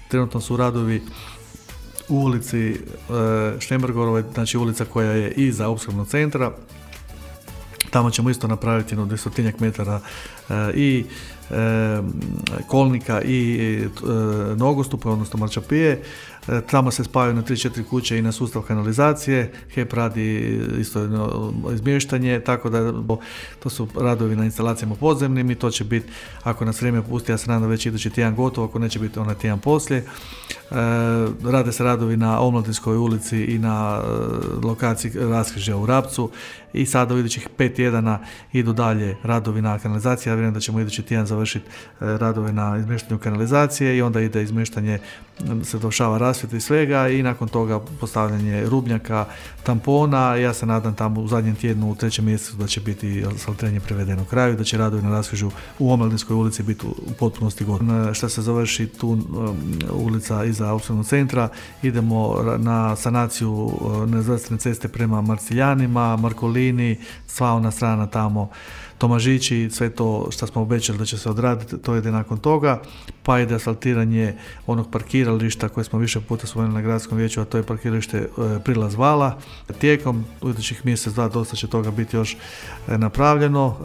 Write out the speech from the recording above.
Trenutno su radovi u ulici Štembergorove, znači ulica koja je iza opskrbnog centra. Tamo ćemo isto napraviti 200 metara i kolnika i nogostupa, odnosno marčapije. Tamo se spajaju na 3-4 kuće i na sustav kanalizacije. HEP radi isto izmještanje, tako da to su radovi na instalacijama podzemnim i to će biti, ako nas vrijeme pusti, ja se nadam već idući tjedan gotovo, ako neće biti onaj tjedan poslije. Rade se radovi na Omladinskoj ulici i na lokaciji raskrižja u Rapcu i sada u idućih 5 tjedana idu dalje radovi na kanalizaciji. Ja vjerujem da ćemo idući tjedan završiti radove na izmještanju kanalizacije i onda ide izmještanje, se dovršava rasvjeta i svega i nakon toga postavljanje rubnjaka, tampona. Ja se nadam tamo u zadnjem tjednu, u 3. mjesecu, da će biti asfaltiranje privedeno kraju, da će radovi na raskrižju u Omladinskoj ulici biti u potpunosti gotovi. Što se završi tu ulica iza opskrbnog centra, idemo na sanaciju nerazvrstane ceste prema Marciljanima, Markolini, sva ona strana tamo, Tomažići, sve to što smo obećali da će se odraditi, to ide nakon toga, pa ide asfaltiranje onog parkirališta koje smo više puta spomenuli na gradskom vijeću, a to je parkiralište Prilaz Vala. Tijekom idućih mjesec, dva dosta će toga biti još napravljeno.